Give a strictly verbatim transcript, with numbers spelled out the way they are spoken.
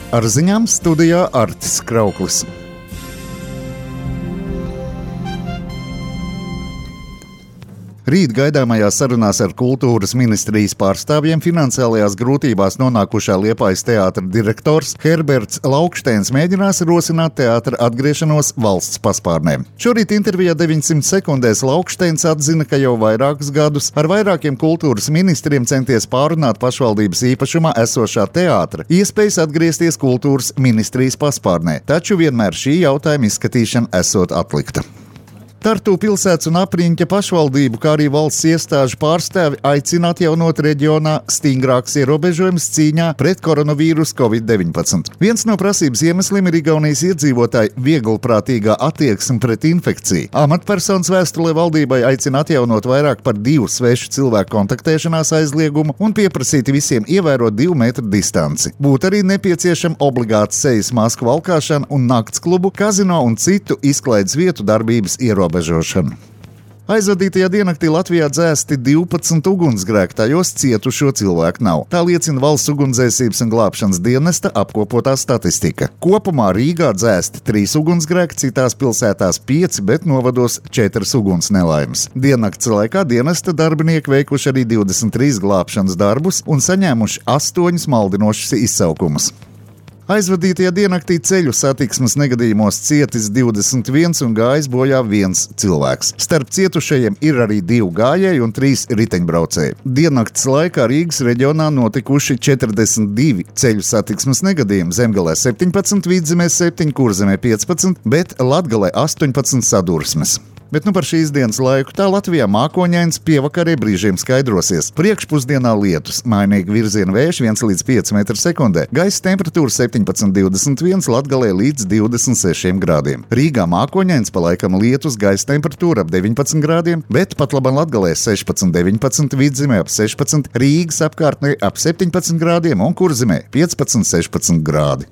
Ar ziņām studijā Artis Krauklis. Rīt gaidāmajās sarunās ar kultūras ministrijas pārstāvjiem finansiālajās grūtībās nonākušā Liepājas teātra direktors Herberts Laukšteins mēģinās rosināt teātra atgriešanos valsts paspārnē. Šorīt intervijā deviņsimt sekundēs Laukšteins atzina, ka jau vairākus gadus ar vairākiem kultūras ministriem centies pārunāt pašvaldības īpašumā esošā teātra iespējas atgriezties kultūras ministrijas paspārnē, taču vienmēr šī jautājuma izskatīšana esot atlikta. Tartu pilsētas un Apriņķa pašvaldību, kā arī valsts iestāžu pārstāvi aicina atjaunot reģionā stingrākus ierobežojumus cīņā pret koronavīrusu covid deviņpadsmit. Viens no prasības iemesliem ir Igaunijas iedzīvotāju vieglprātīgā attieksme pret infekciju. Amatpersonas vēstulē valdībai aicina atjaunot vairāk par divu svešu cilvēku kontaktēšanās aizliegumu un pieprasīt visiem ievērot divu metru distanci. Būtu arī nepieciešama obligāta sejas masku valkāšana un naktsklubu, kazino un citu izklaides vietu darbības ierobežošana. Aizvadītajā diennaktī Latvijā dzēsti divpadsmit ugunsgrēki, tajos cietušo cilvēku nav. Tā liecina Valsts ugunsdzēsības un glābšanas dienesta apkopotā statistika. Kopumā Rīgā dzēsti trīs ugunsgrēki, citās pilsētās pieci, bet novados četras uguns nelaimes. Diennakts laikā dienesta darbinieki veikuši arī divdesmit trīs glābšanas darbus un saņēmuši astoņus maldinošus izsaukumus. Aizvadītajā diennaktī ceļu satiksmes negadījumos cietis divdesmit viens un gājis bojā viens cilvēks. Starp cietušajiem ir arī divi gājēji un trīs riteņbraucēji. Diennakts laikā Rīgas reģionā notikuši četrdesmit divi ceļu satiksmes negadījumi. Zemgalē septiņpadsmit, Vidzemē septiņi, Kurzemē piecpadsmit, bet Latgalē astoņpadsmit sadursmes. Bet nu par šīs dienas laiku tā Latvijā mākoņains, pievakarē brīžiem skaidrosies. Priekšpusdienā lietus, mainīgi virziena vējš viens līdz pieci metri sekundē, gaisa temperatūra septiņpadsmit divdesmit viens, Latgalē līdz divdesmit sešiem grādiem. Rīgā mākoņains, pa laikam lietus, gaisa temperatūra ap deviņpadsmit grādiem, bet pat labam Latgalē sešpadsmit deviņpadsmit, Vidzemē ap sešpadsmit, Rīgas apkārtnē ap septiņpadsmit grādiem un Kurzemē piecpadsmit sešpadsmit grādi.